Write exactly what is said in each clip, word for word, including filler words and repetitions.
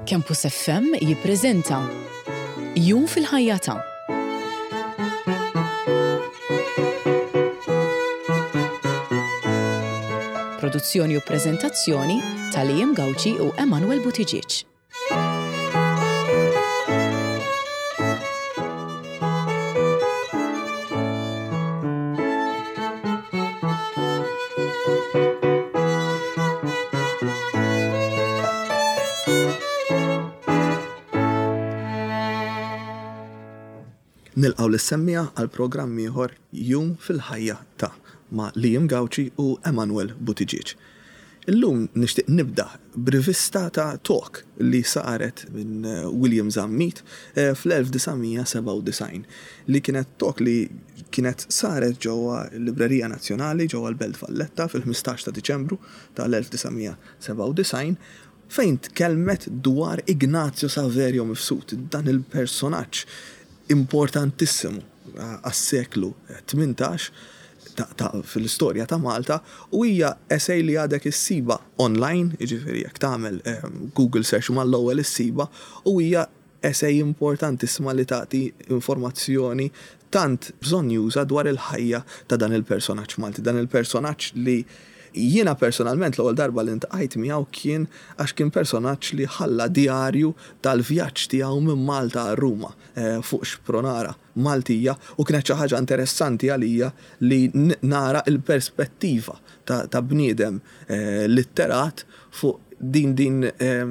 Campus F M jippreżenta Jum fil-ħajja ta' Produzzjoni u preżentazzjoni ta' Liam Gauci u Emanuel Buttigieg. Nilqgħu lis-semmiegħa għal programm ieħor, Jum fil-ħajja ta' ma' Liam Gauci u Emanuel Buttigieg. Illum nixtieq nibda b'rivista ta' talk li saret minn William Zammit eh, fl-elf disa' mija sebgħa u disgħin, li kienet talk li kienet saret ġewwa l-Librerija Nazzjonali ġewwa l-Belt Valletta fil-ħmistax ta' Diċembru tal-elf disa' mija sebgħa u disgħin, fejn tkellmet dwar Ignazio Saverio Mifsud, dan il-personaġġ importantissimu għas-seklu tmintax ta', ta fil-istorja ta' Malta, u hija essay li għadek issibha online, jiġifieri jekk tagħmel um, Google search mal-ewwel issibha, u hija essay importantissima li tagħti informazzjoni tant bżonnjuża dwar il-ħajja ta' dan il-personaġġ Malti, dan il-personaġġ li jiena personalment l-ewwel darba li ltqajt miegħu kien għax kien personaġġ li ħalla djarju tal-vjaġġ tiegħu minn Malta għal Ruma eh, fuq xpronara Maltija, u kienet xi ħaġa interessanti għalija li nara il-perspettiva ta', ta bniedem eh, litterat fuq din din eh,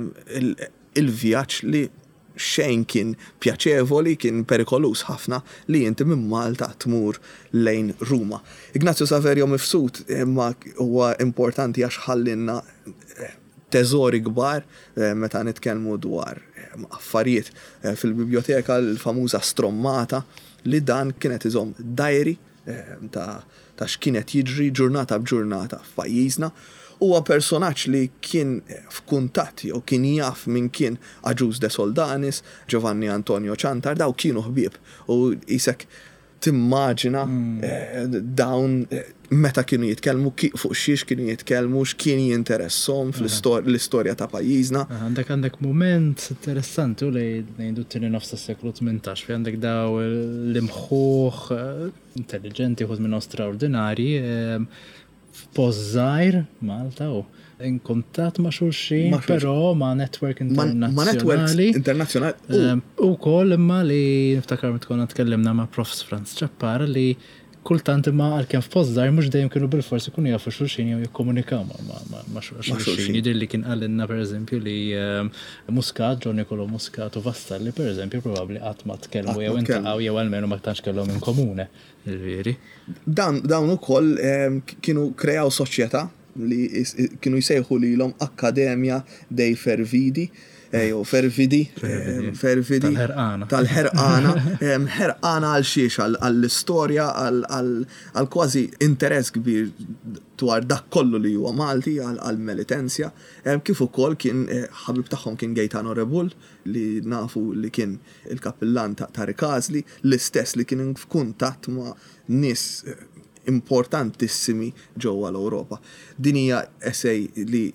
il-vjaġġ li xejn kien pjaċevoli, kien perikolus ħafna li inti minn Malta tmur lejn Ruma. Ignazio Saverio Mifsud imma huwa importanti għax ħallinna eh, teżori kbar eh, meta nitkellmu dwar eh, affarijiet fil-biblioteka, l-famuża strommata li dan kienet iżomm diary ta' ta' x'kienet jiġri ġurnata b'ġurnata f'pajjiżna. Huwa personaġġ li kien f'kuntatt jew kien jaf min kien Agius de Soldanis, Giovanni Antonio Ciantar, daw kienu ħbieb u jisek timmaġina mm. dawn eh, meta kienu jitkellmu, fuq xiex kienu jitkellmu, x'kien jinteressom fl-istorja ta' pajjiżna. Għandek għandek moment interessanti u li ngħidu t-tieni nofs tas-seklu tmintax, fi għandek daw l-imħuħ eh, intelligenti, uħud minnhom straordinari, f'post żgħir Malta u in kuntatt ma' xulxin, però ma' network internazzjonali. Ma' networks internazzjonali. U koll imma li niftakar meta konna tkellimna ma' Profs Franz Ċappar li kultant imma għalkemm f'post żgħir, mhux dejjem kienu bil-forsi kienu jafu xulxin jew jikkomunikaw ma' xulxin. Jidher li kien qalilna, pereżempju, li Muscat, John Nicolo Muscat u Vassalli, pereżempju, probabbli qatt ma tkellmu jew iltaqgħu jew almenu ma tantx kellhom in komune. Veri. Dan dawn ukoll kienu kreaw soċjetà li kienu jsejħu lilhom Akkademja dei Fervidi, jew Fervidi, Fervidi. Tal-ħerqana. Tal-ħerqana, ħerqana għal xiex, għall-istorja, għal kważi interess kbir dwar dak kollu li huwa Malti, għal-Melitensja. Kif ukoll kien ħabib tagħhom kien Gaetano Rebull, li nafu li kien il-kappillan ta' Rikażli, l-istess li kien f'kuntatt ma' nies importantissimi ġewwa l-Ewropa. Din hija essay li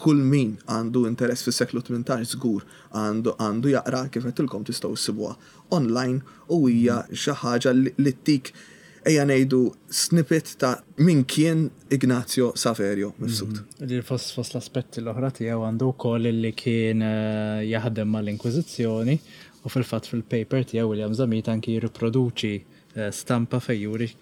kull min għandu interess fis-seklu tmintax żgur għandu għandu jaqra. Kif għedtilkom, tistgħu ssibuha online u hija xi ħaġa li ttik, ejja ngħidu, snippet ta' min kien Ignazio Saverio Mifsud. Mhm. Li fost fost l-aspetti l-oħra tiegħu għandu wkoll li kien eh, jaħdem mal-Inkwiżizzjoni, u fil-fatt fil-paper tiegħu William Zammit anki jirriproduċi eh, stampa fejn juri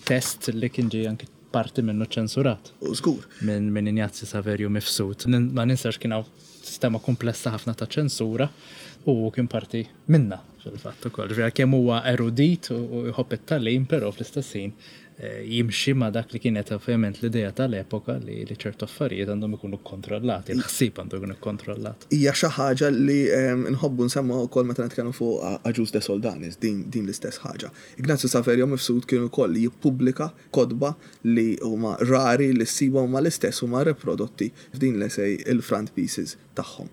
test li kien ġie anki parti minnu ċensurat. U żgur. Minn min Ignazio Saverio Mifsud. Ma ninsax kien hawn sistema komplessa ħafna ta' ċensura u kien parti minna fil-fatt ukoll. Ġifieri kemm huwa erudit u jħobb it-tagħlim, però fl-istess ħin eh, jimxi ma' dak li kienet ovvjament l-idea tal-epoka li li ċertu affarijiet għandhom ikunu kontrollati, il-ħsieb għandu jkunu kontrollat. Hija xi ħaġa li nħobbu nsemmu wkoll meta nitkellmu fuq Agius de Soldanis, din, din l-istess ħaġa. Ignazio Saverio Mifsud kien ukoll jippubblika kotba li huma rari li ssiba, huma l-istess huma riprodotti f'din l-essay, il-front pieces tagħhom.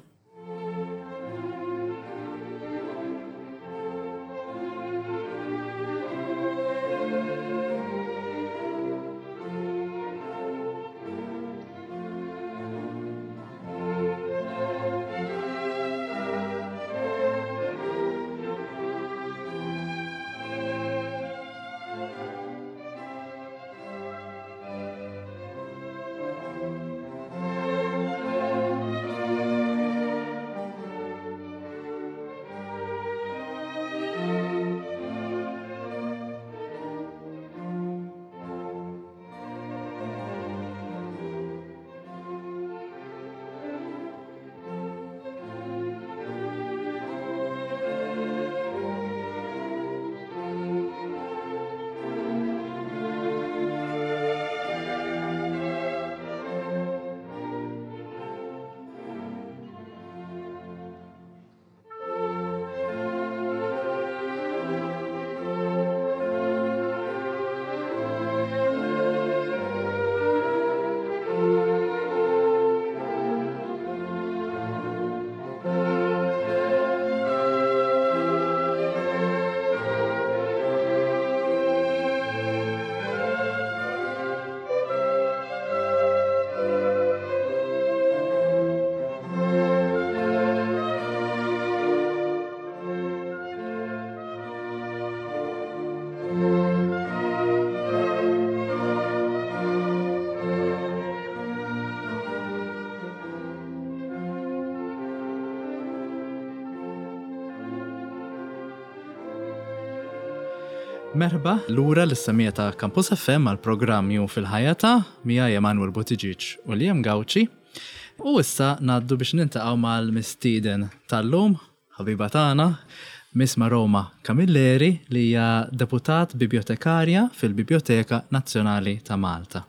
Merħba, lura lis-semmiegħa ta' Campus F M għal programm Jum fil-Ħajja ta' miegħi Emanuel Buttigieg u Liam Gauci. U issa ngħaddu biex niltaqgħu mal-mistieden tal-lum, ħabiba tagħna, Miss Maroma Camilleri, li hija deputat bibliotekarja fil-Biblioteka Nazzjonali ta' Malta.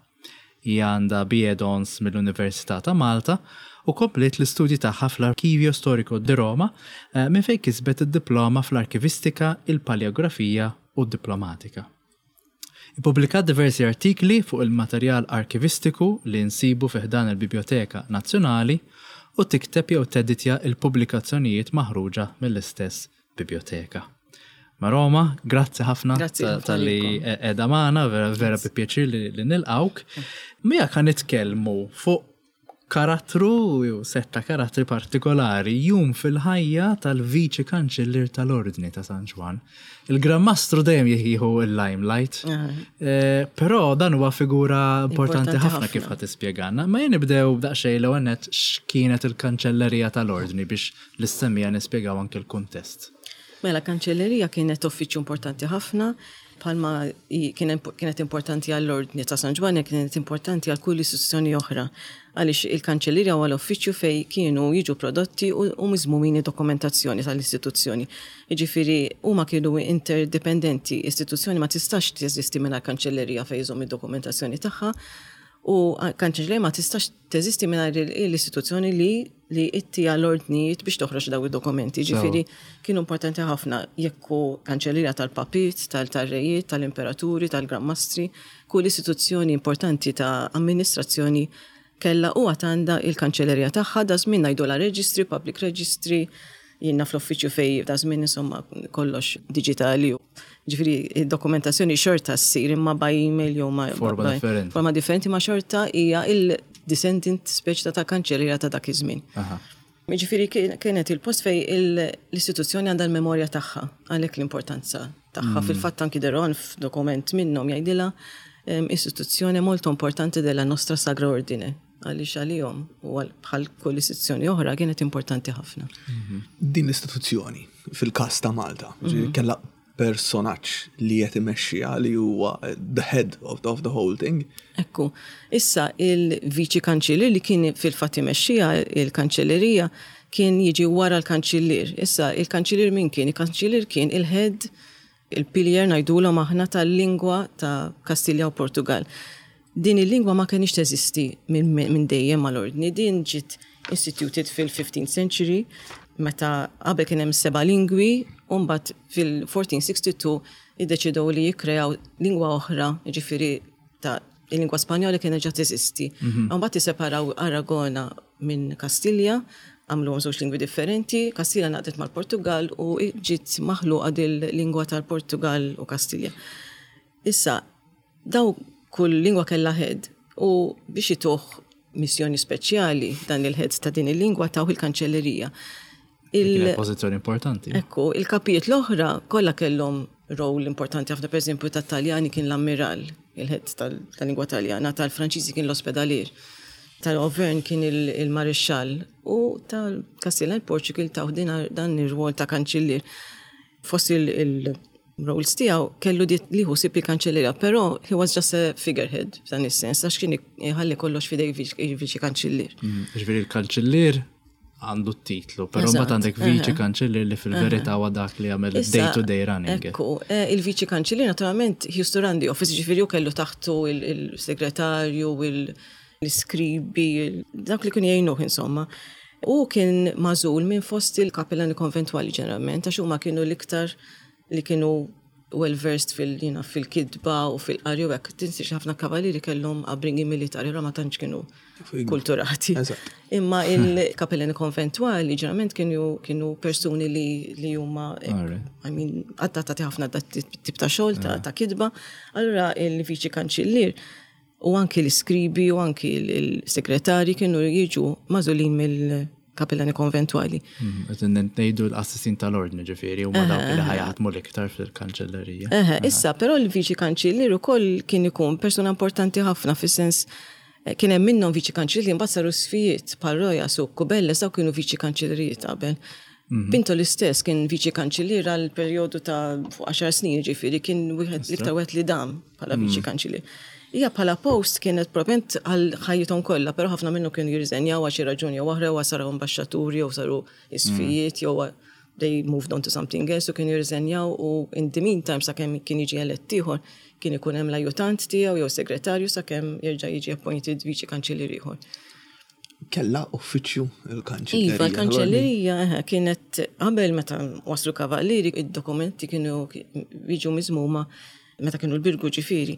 Hija għandha B A Hons mill-Università ta' Malta u komplet l-istudji tagħha fl-Archivio Storico di Roma, eh, minn fejn kisbet id-diploma fl-arkivistika, il-paleografija u d-diplomatika. Ippubblikat diversi artikli fuq il-materjal arkivistiku li nsibu fi ħdan il-Biblioteka Nazzjonali u tikteb jew teditja il-pubblikazzjonijiet maħruġa mill-istess biblioteka. Maroma, grazzi ħafna Grazzi ta- ħafna tal-li lilkom. qiegħda magħna, vera, vera bi pjaċir li, li nilqawk. Mija kan nitkellmu fuq karattru jew setta karattri partikolari, jum fil-ħajja tal-Viċi Kanċellier tal-Ordni ta' San Ġwann. Il-Gran Mastru dejjem jieħu il-limelight. Eh, Però dan huwa figura importanti Importanti ħafna ħafna. kif ħa tispjegana. Ma jien nibdew daqsxejn l-ewwel nett x'kienet il-kanċellerija tal-Ordni biex lis-semmiegħa nispjegaw anke l-kuntest. Mela, kanċellerija kienet uffiċċju importanti ħafna, bħalma i- kien kienet importanti għall-Ordni ta' San Ġwann, kienet importanti għal kull istituzzjoni oħra. Għaliex il-kanċellerija huwa l-uffiċċju fej kienu jiġu prodotti u, u miżmumini dokumentazzjoni tal-istituzzjoni. Jiġifieri huma kienu interdependenti, istituzzjoni ma tistax teżisti mingħajr kanċellerija fejn iżomm id-dokumentazzjoni tagħha u kanċellerija ma tistax teżisti mingħajr l-istituzzjoni li li ittiha l-ordnijiet biex toħroġ daw id-dokumenti. Ġifieri kienu importanti ħafna, jekk hu kanċellerija tal-papiet, tal-rejiet, tal-imperaturi, tal-granmastri, kull istituzzjoni importanti ta' amministrazzjoni kella u għandha il-kanċellerija tagħha. Da żmien ngħidu la registry, public registry, jiena fl-uffiċċju fej da żmien insomma kollox digitali. Ġifieri id-dokumentazzjoni xorta ssir imma by email jew ma Forma by- differenti. Forma differenti, ma xorta hija il-descendant speċi ta' kanċellerija ta' dak iż-żmien. Aha. Ġifieri kien- kienet il-post fej il- l-istituzzjoni għandha l-memorja tagħha, għalhekk l-importanza tagħha. Fil-fatt anki De Rohan f'dokument minnhom jgħidilha em, istituzzjoni molto importante della nostra Sacra Ordine, għaliex għalihom u għal- bħal kull istituzzjoni oħra kienet importanti ħafna. Din l-istituzzjoni fil-kas ta' Malta, ġifieri kellha personaġġ li qed imexxiha li huwa the head of the, of the whole thing. Ekku, issa il-viċi kanċellier li kien fil-fatt imexxija il-kanċellerija kien jiġi wara l-kanċellier. Issa il-kanċellier min kien? Il-kanċellier kien il-head, il-pilier ngħidulhom aħna tal-lingwa ta' Kastilja u Portugal. Din il-lingwa ma kienx teżisti minn min dejjem mal-ordni, din ġiet instituted fil-fifteenth century, meta qabel kien hemm seba' lingwi, u mbagħad fil-fourteen sixty-two iddeċidew li jikkreaw lingwa oħra, jiġifieri ta' il-lingwa Spanjola kienet ġa teżisti. Mbagħad iseparaw Aragona minn Kastilja, għamlu żewġ lingwi differenti, Kastilja ngħaqdet mal-Portugal u ġiet maħluqa dil-lingwa tal-Portugal u Kastilja. Issa, daw kull lingwa kella head u biex ituh missjoni speċjali dan il-head ta' din il-lingwa taw il-kanċellerija. Kienet pożizzjoni importanti. Ekku, il-kapijiet l-oħra kollha kellhom rol importanti ħafna. Per eżempju tat-Taljani kien l-ammiral, il-head tal- tal-lingwa Taljana, tal-Franċiżi kien l-ospedalier, tal-Auvergne kien il- il-marixxall u tal-Kastilja l-Portugal taw din- dan ir-rwol ta' kanċillier. Fost il-roles tiegħu kellu dit li hu sib il-kanċellerija, però he was just a figurehead f'dan is-sens, għax kien iħalli kollox fidej il-viċi kanċillier. Mm, Ġifieri il-kanċellier għandu t-titlu, però Eżatt, mbagħad għandek viċi eħe. kanċellier li fil-verità huwa dak li jagħmel Issa, day to day running. Ekku, eh, il-viċi kanċellier naturalment he used to run the office, ġifieri hu kellu taħtu il- il-segretarju, il- l-iskribi, il- dak li kien jgħinuh insomma. U kien magħżul minn fost il-kapellani konventwali ġeneralment, għax huma kienu l-iktar li kienu well versed fil, jina, fil-kidba u fil-qari u hekk. Tinsiex ħafna kavaliri kellhom upbringing militari, ra ma tantx kienu kulturati. Eżatt. Imma il-kapellani konventwali ġeneralment kienu, kienu persuni li, li huma Alright. I mean, adattati ħafna dat tip ta' xogħol ta', ta' kidba. Allura il-viċi kanċillier u anki l-iskribi u anki il-segretari kienu jiġu magħżulin mill-kapellani konventwali. Mm, Qed ngħidu l-qassisin tal-ordni, ġifieri huma dawk li ħa jaħdmu l-iktar fil-kanċellerija. Eħe, issa, però l-viċi kanċillier ukoll kien ikun persuna importanti ħafna fis-sens eh, kien hemm minnhom viċi kanċillier mbagħad saru isqfijiet bħal Rojas u Cubelles, daw kienu viċi kanċillerijiet qabel. Pinto l-istess kien viċi kanċillier għal perjodu ta' fuq għaxar snin, ġifieri kien wieħed l-iktar wieħed li dam bħala viċi kanċillier. Hija bħala post kienet propent għal ħajjithom kollha, però ħafna minnu kienu jirriżenjaw għal xi raġuni jew oħra, jew saru ambaxxaturi jew saru isqfijiet jew they moved on to something else u kienu jirriżenjaw, u in the meantime, sakemm kien jiġi elett ieħor, kien ikun hemm l-ajutant tiegħu jew segretarju sakemm jerġa' jiġi appointed viċi kanċillier ieħor. Kella uffiċċju il-kanċillerija? Iva, l-kanċellerija eh, kienet qabel meta waslu kavallieri, id-dokumenti kienu jiġu miżmuma meta kienu l-Birgu, ġifieri,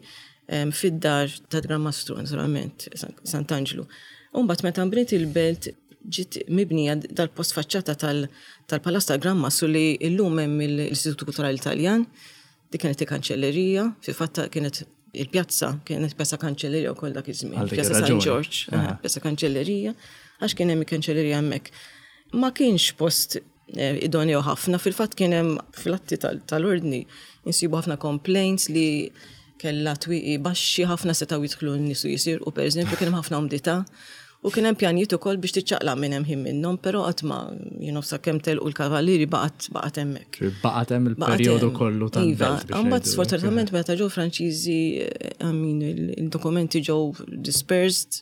em, fid-dar ta' Gran Mastru, naturalment, San- Sant'Angelo. Umbagħad meta nbniet il-belt, ġiet mibnija dal-post faċċata tal- tal-Palazz tal-Gran Mastru li illum hemm l-Istitut Kulturali Italjan, dik kienet il-kanċellerija, fil-fatt kienet il-pjazza, kienet Pjazza Kanċellerija wkoll dak iż-żmien. Għal dik Pjazza San ir-raġuni. George, eh, Pjazza Kanċellerija, għax kien hemm il-kanċellerija hemmhekk. Ma kienx post eh, idoneo ħafna, fil-fatt kien hemm fl-atti tal- tal-ordni insibu ħafna complaints li kella twieqi baxxi ħafna, setgħu jidħlu n-nies u jisirqu, per eżempju, kien hemm ħafna umdità. U kien hemm pjanijiet ukoll biex tiċċaqlaq minn hemm ħin minnhom, però qatt ma, you know, sakemm telqu l-kavallieri baqgħet baqgħet hemmhekk. Baqgħet hemm Baqgħet il-perjodu hemm. kollu Iva, tal-belt biex mbagħad ngħidu. sfortunatament meta ġew Franċiżi, eh, I mean, il- il-dokumenti ġew dispersed,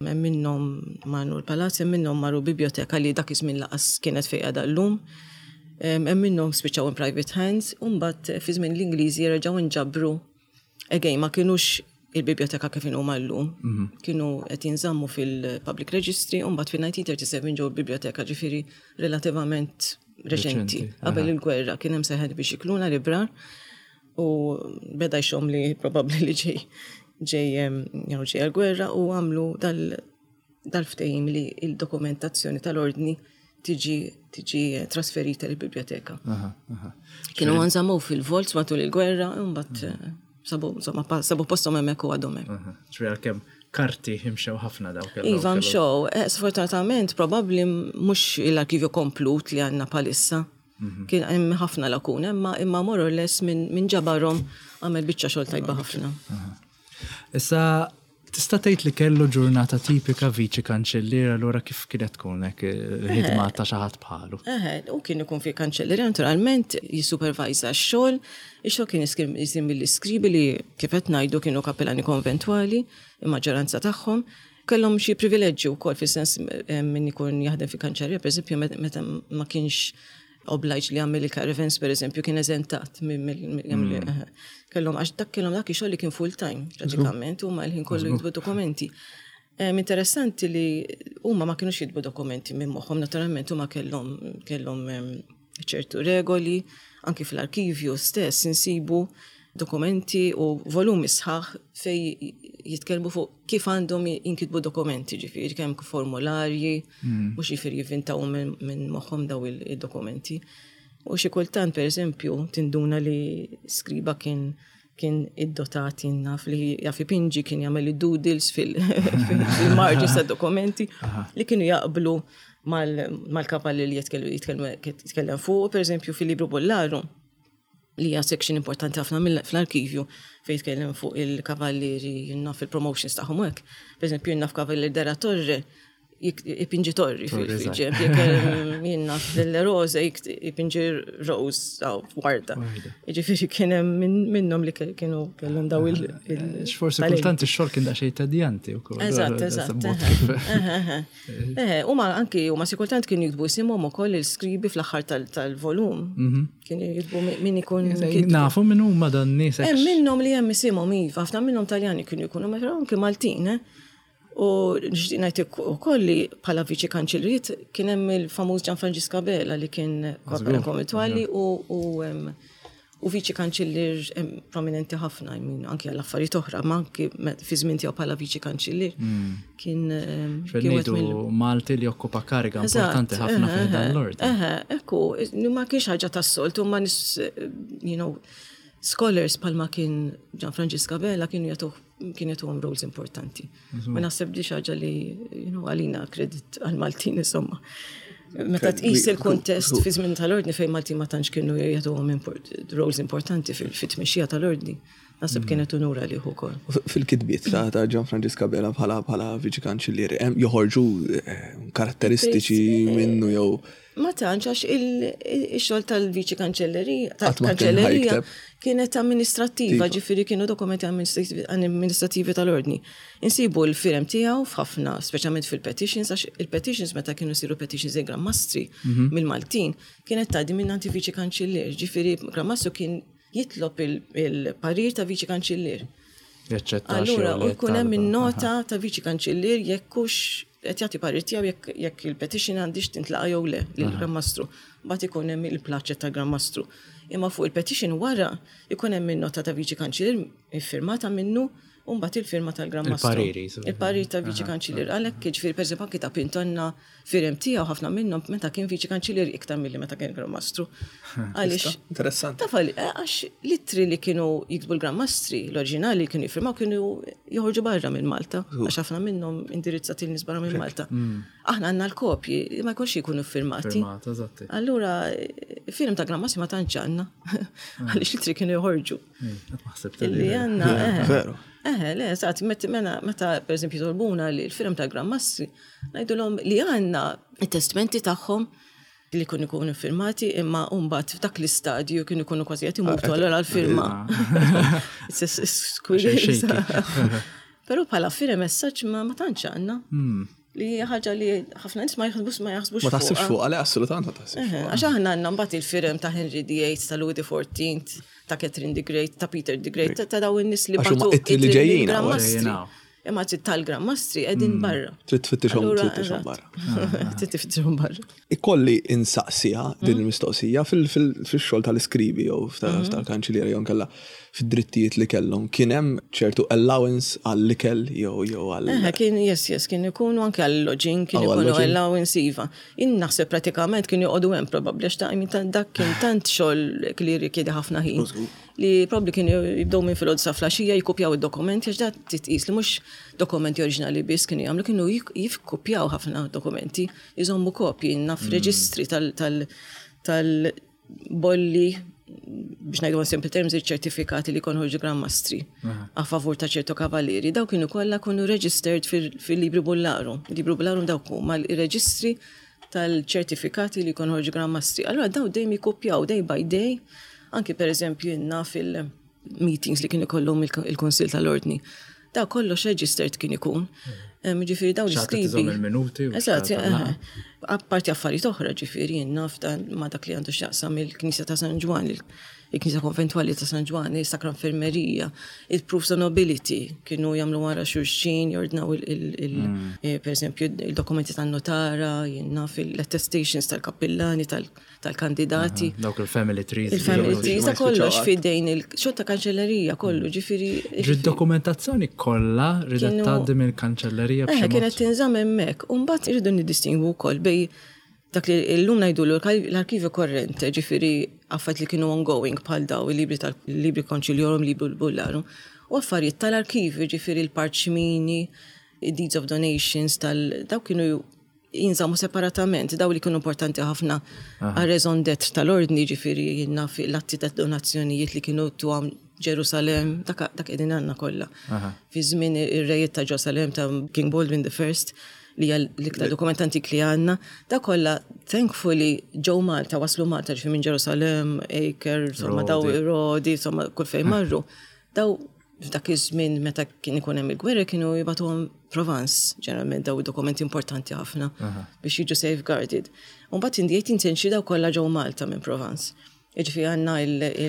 hemm minnhom marru l-palazz, hemm minnhom marru biblioteka li dak iż-żmien lanqas kienet fejn qiegħda llum. Hemm minnhom spiċċaw in private hands, u mbagħad fi żmien l-Ingliżi reġgħu nġabru. Again, ma kienux il-biblioteka kif huma llum. Kienu qed jinżammu fil-Public Registry, u mbagħad fil-elf disa' mija u tlieta u sebgħin ġew il-biblioteka, ġifieri relattivament reċenti. Reċenti, Qabel il-gwerra kien hemm seħed biex ikluna librar u beda jxomm li probabbli li ġej ġej em, you know, ġej għal-gwerra u għamlu dal dal-ftehim li il-dokumentazzjoni tal-ordni tiġi tiġi trasferita l-biblioteka. Aha, aha. Kienu nżammu fil-vaults matul il-gwerra, u mbagħad eh, sabu insomma, pa- sabu postom hemmhekk u għadhom hemm. Aha. Ġifieri għalkemm karti imxew ħafna dawk. kellhom- Iva, kellhom- mxew, eh, sfortunatament probabbli mhux l-arkivju komplut li għandna bħalissa. Kien hemm ħafna lakuna, imma imma more or less minn min ġabarhom għamel biċċa xogħol tajba ħafna. Issa, tista' tgħid li kellu ġurnata tipika viċi kanċellier, allura kif kienet tkun hekk il-ħidma ta' xi ħadd bħalu? Eħe, u kien ikun fi kanċellerija, naturalment jissupervajza x-xogħol, ix-xogħol kien isir isir mill-iskribi li, kif qed ngħidu, kienu kapellani konventwali, il-maġġoranza tagħhom. Kellhom xi privileġġi wkoll fis-sens eh, min ikun jaħdem fi kanċellerija, pereżempju, met- meta ma kienx obliged li jagħmel il-caravans, pereżempju, kien eżentat minn mill- mill- jagħmel- eħe. Kellhom, għax dak kellhom dak ix-xogħol li kien full time pratikament, huma l-ħin kollu jiktbu dokumenti. Em, interessanti li huma ma kienux jiktbu dokumenti minn moħħhom, naturalment huma kellhom kellhom em, ċertu regoli, anki fl-arkivju stess insibu dokumenti u volumi sħaħ fej jitkellmu fuq kif għandhom jinkitbu dokumenti, ġifieri kemm formularji, mhux ġifieri jivvintaw minn min moħħhom daw il- il-dokumenti. U xi kultant, per eżempju, tinduna li skriba kien kien iddotat, naf li jaf ipinġi, kien jagħmel id-doodles fil-margins ta' dokumenti li kienu jaqblu mal-kavalli li jitkellmu jitkellem fuq, per eżempju, fil-Libru Bollaru, li hija section importanti ħafna mill- fl-arkivju fejn jitkellem fuq il-kavallieri, naf il-promotions tagħhom hekk. Per eżempju, naf kavallier della Torre jik- ipinġi torri fil-ġenb, jekk jien naf delle Rose jik- ipinġi rose aw warda. Jiġifieri kien hemm min- minnhom li ke- kienu kellhom daw il- il- Forsi talent. kultant ix-xogħol kien daqsxejn tedjanti wkoll. Eżatt, eżatt. Mod kif- Eħe, eħe. Huma anki huma xi kultant kienu jiktbu isimhom ukoll il-skribi fl-aħħar tal- tal-volum. Kienu jiktbu mi- min ikun kitbu. Nafu min huma dan nies Hemm minnhom li hemm isimhom, iva, ħafna minnhom Taljani kienu jkunu, ma anki Maltin, eh. U nixtieq ngħid ukoll li bħala viċi kanċelleriet kien hemm il-famuż Gian Franġisk Abela li kien kapellan konventwali u u em, u viċi kanċellier em, prominenti ħafna, I mean, anki għal affarijiet oħra, ma anki me- fi żmien tiegħu bħala viċi kanċellier kien em, kien wieħed mill- Ngħidu Malti li jokkupa kariga importanti ħafna eħe, fi dan l-ordni. Eħe, ekku, ma kienx ħaġa tas-soltu, ma nies, eh, you know, scholars bħalma kien Gian Franġisk Abela kienu jagħtuh kien jagħtuhom roles importanti. Ma naħseb di xi ħaġa li, you know, għalina kredit għal-Maltin, insomma. Meta tqis il-kuntest fi żmien tal-ordni fejn Maltin ma tantx kienu jagħtuhom import, roles importanti fil-tmexxija tal-ordni. Naħseb kienet unura li ukoll. Fil-kitbiet ta' ta' Gian Franġisk Abela bħala bħala viċi kanċillier, hemm joħorġu eh, karatteristiċi minnu jew Ma tantx, għax il-xogħol tal-viċi kanċellerija, Qatt ma kien tal-kanċellerija ħa jikteb. kienet amministrattiva, Tiva. Ġifieri kienu dokumenti amministrativi amministrativi tal-ordni. Insibu l-firem tiegħu f'ħafna, speċjalment fil-petitions, għax il-petitions, meta kienu siru petitions il-Gran Mastri mill-Maltin, kienet tgħaddi minn viċi kanċellier, ġifieri Gran Mastru kien jitlob il- il-parir ta' viċi kanċellier. Jaċċetta. Allura, u jkun hemm in-nota ta' viċi kanċellier jekk hux qed jagħti parir tiegħu jekk jekk il-petition għandix tintlaqa jew le lill-Gran Mastru. Mbagħad ikun hemm il-placet tal-Gran Mastru. Imma fuq il-petition wara ikun hemm in-nota ta' viċi kanċellier iffirmata minnu u mbagħad il-firma tal-Gran Mastru. Il-pariri, so. Il-parir ta' viċi kanċellier. Għalhekk, jiġifieri, pereżempju anki ta' Pinto għandna firem tiegħu ħafna minnhom meta kien viċi kanċellier iktar milli meta kien Gran Mastru. Għaliex Interessanti. Taf għal- eh, għax l-ittri li kienu jiktbu l-Gran Mastri, l-oriġinali li kienu jiffirmaw, kienu joħorġu barra minn Malta, għax ħafna minnhom indirizzati lin-nies barra minn Malta. Aħna għandna l-kopji, ma jkunx jkunu firmati. Firmata, eżatti. Allura, firem ta' Gran Mastri ma tantx għandna, għaliex l-ittri kienu joħorġu. Illi għandna, eh. Veru. Eh, le, eżatt, meta, meta per eżempju jitolbuna li l-firem ta' Gran Mastri, ngħidulhom li għandna il-testamenti tagħhom li kienu ikunu firmati, imma mbagħad f'dak l-istadju kienu ikunu kważi qed imutu, allura l-firma. It's a squeeze. Però bħala firem messaġġ ma ma tantx għandna. Li hija ħaġa li ħafna nies ma jaħsbux ma jaħsbux Ma taħsibx fuqha. fuq, għale, assolutament ma taħsibx Eħe, fuq. għax aħna għandna mbagħad il-firem ta' Henry the Eighth, ta' Louis the Fourteenth, ta' Catherine the Great, ta' Peter the Great, ta' daw in-nies li Għax huma bagħtu ittri li ittri ġejjin lill-Gran hawn. Mastri. Ġejjin hawn. Imma tal-Gran Mastri qegħdin barra. Trid tfittixhom Allura, tfittixhom eżatt. barra. Trid tfittixhom barra. Ikolli insaqsiha din il-mistoqsija fil-xogħol tal-iskribi jew tal-kanċilliera jew nkella fid-drittijiet li kellhom. Kien hemm ċertu allowance għall-ikel jew jew għall Eħe, kien, yes, yes, kien ikunu anke għall-lodging, kien Oh, ikunu għall-lodging. allowance, iva. Jien naħseb pratikament kienu joqogħdu hemm probabbli, għax ta' I mean, ta' dak kien tant xogħol li rikjedi ħafna ħin. Li probabbli kienu jibdew minn filgħodu sa filgħaxija jikkupjaw id-dokumenti, għax da titqis li mhux dokumenti oriġinali biss kienu jagħmlu, kienu jik- jikkupjaw ħafna dokumenti, jżommu kopji, naf reġistri tal- tal- tal-bolli, biex ngħidu in simple terms, iċ-ċertifikati li kienu ħorġu Gran Mastri a favur ta' ċertu kavalieri, daw kienu kollha kienu registered fil-Libri Bullarum. Libri Bullarum dawk huma l-reġistri tal-ċertifikati li kienu ħorġu Gran Mastri. Allura daw dejjem jikkupjaw day by day, anki per eżempju jenna fil-meetings li kienu kollhom il-Kunsill tal-Ordni. Da kollox registered kien ikun. Em, Ġifieri daw Xi ħadd l-iskribi. iżomm il-minuti u Eżatt, xi ħadd eħe. Apparti affarijiet oħra, ġifieri jien naf dan ma dak li għandu x'jaqsam il-Knisja ta' San Ġwann, il- il-Knisja Konventwali ta' San Ġwann, il-Sacra Infermerija, il-Proofs of Nobility, kienu jagħmlu wara xulxin, jordnaw il- il- il- eh, per eżempju il-dokumenti tan-notara, jien naf il-attestations tal-kappillani, tal- tal-kandidati. Dawk il-family trees. Il-family ma trees, ta' jispiċċaw kollox qatt. fidejn il-xogħol ta' kanċellerija kollu, ġifieri. Ġi dokumentazzjoni kollha ridet Kienu- tgħaddi mill-kanċellerija Eħe, b'xi mod. kienet tinżamm hemmhekk. U mbagħad irridu niddistingwu wkoll bej dak li llum ngħidu l-arkivju korrente, ġifieri affarijiet li kienu ongoing bħal daw il-libri tal-libri conciliorum, libri bullarum, u affarijiet tal-arkivju, ġifieri l-parċmini, deeds of donations, tal daw kienu jinżammu separatament, daw li kienu importanti ħafna għal raison d'être tal-ordni, ġifieri jiena l-atti ta' donazzjonijiet li kienu twam Ġerusalem, dak dak qegħdin għandna kollha. Fi żmien ir-rejiet ta' Ġerusalem ta' King Baldwin the First, li hija l-iktar dokument antik li għandna, da kollha thankfully ġew Malta, waslu Malta, ġifieri minn Ġerusalem, Acre, insomma daw Rodi. Rodi, insomma kull fejn marru. Daw f'dak iż-żmien meta kien ikun hemm il-gwerra kienu jibagħtuhom Provence, ġeneralment daw dokumenti importanti ħafna biex jiġu safeguarded. U mbagħad in the eighteenth century daw kollha ġew Malta minn Provence. Jiġifieri għandna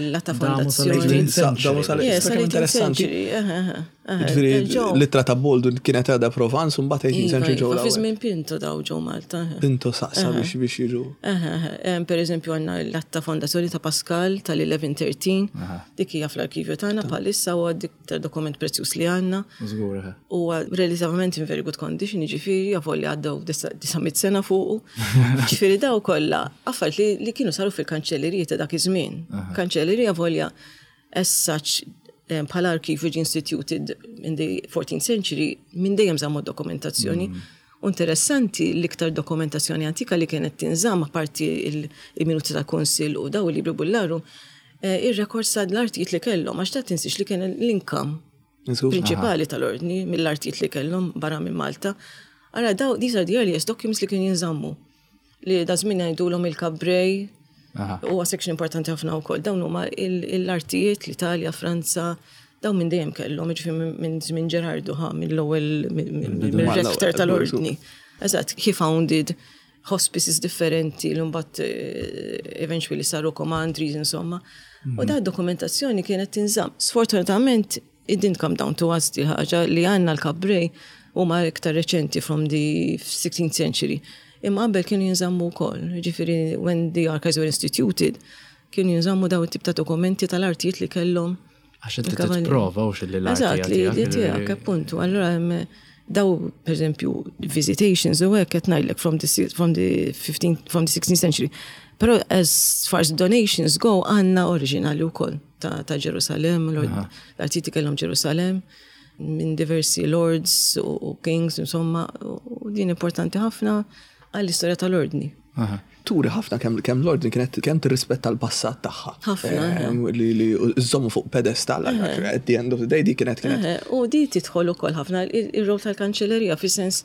l-atta Damu fondazzjoni. sal-eighteenth Damu sal- Yes, Kemm sal-eighteenth interessanti. century. eħe, eħe, eħe. Ġifieri Ġew. l-ittra ta' Baldwin kienet għadha Provence u mbagħad eighteenth Iva, century ġew iva, fi l-ewwel. żmien Pinto daw ġew Malta. eħe. Pinto saqsa biex biex jiġu. Eħe, eħe. Em, Per eżempju għandna l-atta fondazzjoni ta' Pascal tal-elfu wieħed u tlieta tlettax, dik hija fl-arkivju tagħna bħalissa, huwa dik ta' dokument prezzjuż li għandna. Żgur, eħe. Huwa relativament in very good condition, ġifieri, avolja għaddew disa' mitt sena fuqu. Ġifieri daw kollha affarijiet li, li kienu saru fil-kanċellerija ta' dak iż-żmien. Kanċellerija avolja as such eh, bħala arkivju ġie instituted in the fourteenth century, minn dejjem żammu dokumentazzjoni. U interessanti, l-iktar dokumentazzjoni antika li kienet tinżamm, apparti il- il-minuti ta' kunsill u daw il-libri bullarum, eh, ir-records ta' l-artijiet li kellhom, għax ta' tinsiex li kien l-income prinċipali tal-ordni mill-artijiet li kellhom barra minn Malta. Ara daw, these are the earliest documents li kienu jinżammu. Li da żmien ngħidulhom il-Cabrej, huwa section importanti ħafna wkoll. Dawn huma l-artijiet l-Italja, Franza, dawn minn dejjem kellhom, jiġifieri minn żmien Ġerardu ħa mill-ewwel mill-rector tal-ordni. Eżatt, he founded hospices differenti li mbagħad eh, eventually saru commanderies insomma. U da dokumentazzjoni kienet tinżamm. Sfortunatament it didn't come down to us di ħaġa li għandna l-Cabrej huma iktar reċenti from the sixteenth century. Imma qabel kienu jinżammu wkoll, ġifieri when the archives were instituted, kienu jinżammu daw it-tip ta' dokumenti tal-artijiet li kellhom. Għax inti tipprova u xilli l-arti. Eżatt, li li tiegħek, appuntu. Allura hemm daw, per eżempju, visitations u hekk qed ngħidlek from the from the fifteen from the sixteenth century. Però as far as donations go, għandna oriġinali wkoll ta' ta' Ġerusalem, l-artijiet kellhom Ġerusalem minn diversi lords u u kings, insomma, u din importanti ħafna għall-istorja tal-ordni. Turi ħafna kemm kemm l-ordni kienet kemm tirrispetta l-passat tagħha. Ħafna, Em, Li li żommu fuq pedestal, at the end of the day di kienet kienet. Eh, U di tidħol ukoll ħafna il-rol tal-kanċellerija, fi sens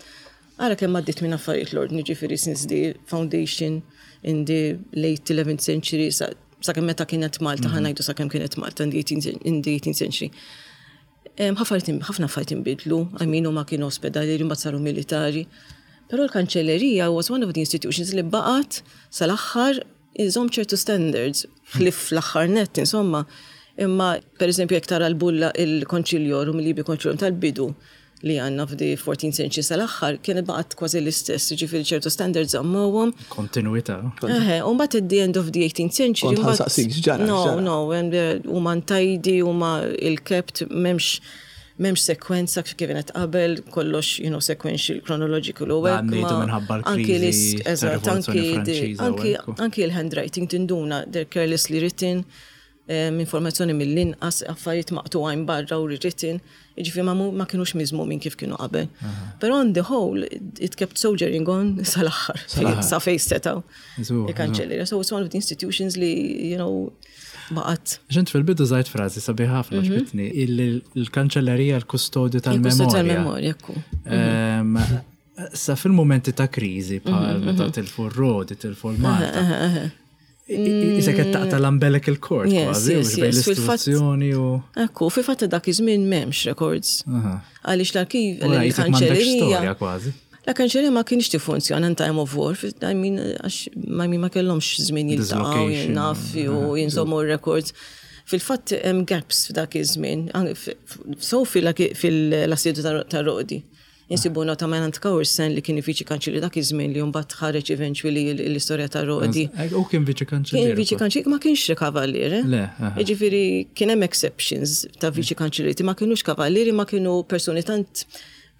ara kemm għaddit minn affarijiet l-ordni, ġifieri since the foundation in the late eleventh century sa sakemm meta kienet Malta, ħa ngħidu sakemm kienet Malta in the eighteenth in the eighteenth century. Em, Ħafna affarijiet inbidlu, I mean, huma kienu ospedali, mbagħad saru militari. Però l-kanċellerija was one of the institutions li baqgħet sal-aħħar iżomm ċertu standards, ħlief l-aħħar net, insomma. Imma, per eżempju, jekk tara l-bulla il-Conciliorum, il-Libri Conciliorum tal-bidu li għandna f'di fourteenth century sal-aħħar, kienet baqgħet kważi l-istess, ġifieri ċertu standards żammowhom. Kontinuità. Eħe, u mbagħad at the end of the eighteenth century. Kont mbagħad- ħa nsaqsik, x'ġara, No, x'ġara? no, and, uh, huma untidy, huma il-kept, m'hemmx m'hemmx sekwenza kif kienet qabel, kollox, you know, sequential, chronological u hekk. Dan ngħidu ma- minħabba anki l-kriżi l-is- eżatt, tar-Rivoluzzjoni anki di- Franċiża u anki hekk. anki il-handwriting tinduna, they're carelessly written, um, informazzjoni mill-inqas, affarijiet maqtugħin barra u rewritten, jiġifieri ma, mu- ma kienux miżmumin kif kienu qabel. Però on the whole, it kept soldiering on sal-aħħar, sa fejn setgħu. Żgur, Il-kanċellerija. So it's one of the institutions li, you know, baqgħet. Ġent fil-bidu żajt frażi sabiħ ħafna ġbitni, il-kanċellerija l-kustodju Il-kustodju tal-memorja. tal-memorja, ekku. Ehm, Sa fil-momenti ta' kriżi bħal meta tilfu r-Rodi, tilfu l-Malta. Isa qed taqta' l-umbilical cord Yes, kważi, yes, u bejn yes, fil-fatt- l-istituzzjoni u. Ekku, fi fatt dak iż-żmien m'hemmx records. Għaliex l-arkiv, U qisek m'għandekx il-kanċellerija. storja kważi. La kanċellerija ma kienx tiffunzjona in time of war, I mean, għax ma ma kellhomx żmien jiltaqgħu, Dislocation. naf, u jinżommu records. Fil-fatt hemm gaps f'dak iż-żmien, an- f- f- so fil-assedju ta' Rodi. Insibu nota minn Caoursin li kien viċi kanċellier dak iż-żmien li mbagħad ħareġ eventually l-istorja ta' Rodi. U kien viċi kanċellier. Kien viċi kanċellier, ma kienx kavalliere. Le, aha. Jiġifieri kien hemm exceptions ta' viċi kanċellieri, ma kienux kavallieri, ma kienu persuni tant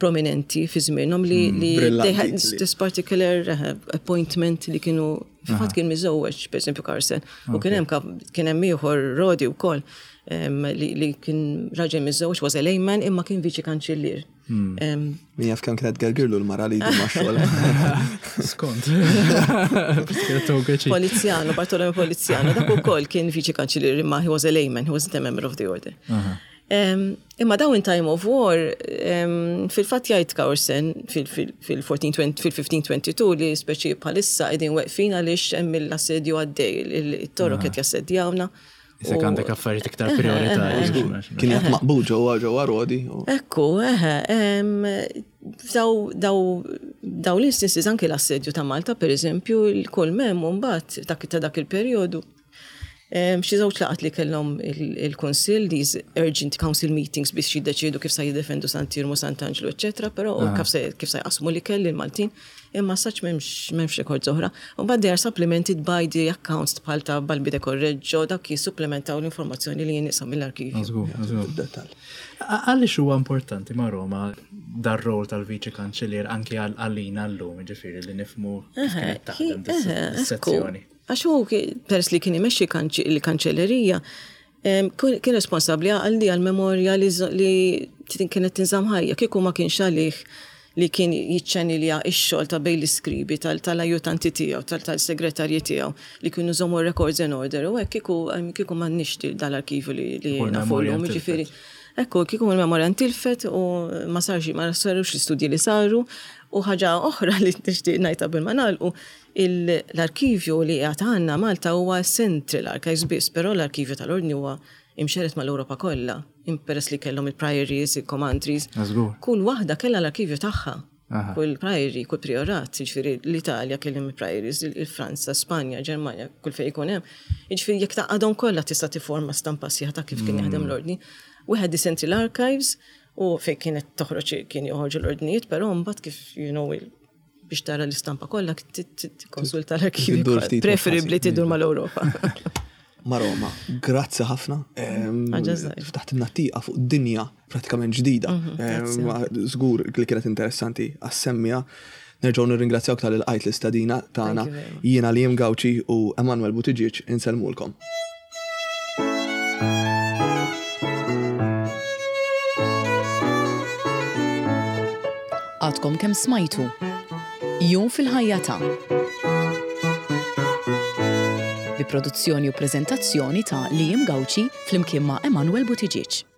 prominenti fi żmienhom li li they had Brillanti li- this particular uh, appointment li kienu fil-fatt kien miżewweġ, per eżempju Caoursin, u kien hemm kav- kien hemm ieħor Rodi wkoll em, li, li kien raġel miżewweġ, was a layman, imma kien viċi kanċellier. Em, Min jaf kemm kienet gergirlu l-mara li jdu ma' xogħol. Skont. Kienet Poliziano, Bartolomeo Poliziano, dak ukoll kien viċi kanċellier imma he was a layman, he wasn't a member of the order. Um, imma daw in time of war, um, fil-fatt jgħid Caoursin fil-fifteen twenty-two li speċi bħalissa qegħdin weqfin għaliex hemm l-assedju għaddej, il-Torok qed jassedjawna. Isek U- għandek affarijiet iktar prioritarji. Kien jgħat maqbud ġewwa ġewwa Rodi. u- Ekku, eħe, em, daw, daw, daw l-instances anki l-assedju ta' Malta, per eżempju, il-kull mem mbagħad dak ta' dak il-perjodu. Em, Xi żewġ laqgħat li kellhom il- il-Kunsill, these urgent council meetings biex jiddeċiedu kif sa jiddefendu Sant'Iermu, Sant'Angelo, eċetera, però kif se kif se jqasmu li kelli l-Maltin, imma saċ m'hemmx m'hemmx records oħra. U mbagħad they are supplemented by the accounts bħal ta' Balbi de Correggio, dak jissupplementaw l-informazzjoni li jinqasam mill-arkivju. Żgur, żgur. Dettal. Għaliex huwa importanti ma' Roma dar-rol tal-viċi kanċellier anki għal- għalina llum, ġifieri li nifhmu kif kienet taħdem dis-sezzjoni. Għax hu ki- peress li kien imexxi kanċi- il-kanċellerija, em, kun- kien responsabbli għal di għal-memorja li z- li tin- kienet tinżamm ħajja. Kieku ma kienx għalih li kien jiċċanilja x-xogħol ta' bejn l-iskribi tal-ajutanti tiegħu, tal-segretarji tiegħu li kienu jżommu records in order u hekk kieku kieku m'għandniex dal-arkivju li nafu llum, jiġifieri. Ekku, kieku l-memorja ntilfet u ma sarx ma sarux l-istudji li saru u ħaġa oħra li nixtieq ngħid qabel ma nagħlqu l-arkivju li għad għandna Malta huwa Central Archives biss, però l-arkivju tal-Ordni huwa imxerred mal-Ewropa kollha, peress li kellhom il-priories, il-commandries. Kull waħda kellha l-arkivju tagħha. Kull priory, kull priorat, jiġifieri l-Italja kellhom il-priories, il-Franza, Spanja, Ġermanja, kull fejn ikun hemm. Jiġifieri jekk tgħaqqadhom kollha tista' tiforma stampa sħiħa ta' kif kien jaħdem l-ordni. We had the Central Archives u fejn kienet toħroġ kien joħorġu l-ordnijiet, però mbagħad kif you know biex tara l-istampa kollha tikkonsulta l-arkivju. Preferibbli tidur mal-Ewropa. Maroma, grazzi ħafna. Ftaħt tieqa fuq dinja pratikament ġdida. Mhm, żgur li kienet interessanti għas-semmiegħa. Nerġgħu nirringrazzjawk talli lqajt l-istedina tagħna. Jiena Liam Gauci u Emanuel Buttigieg insellmulkom. Għadkom kemm smajtu. Jum fil-ħajja ta' bi produzzjoni u prezentazzjoni ta' Liam Gauci flimkien ma' Emanuel Buttigieg.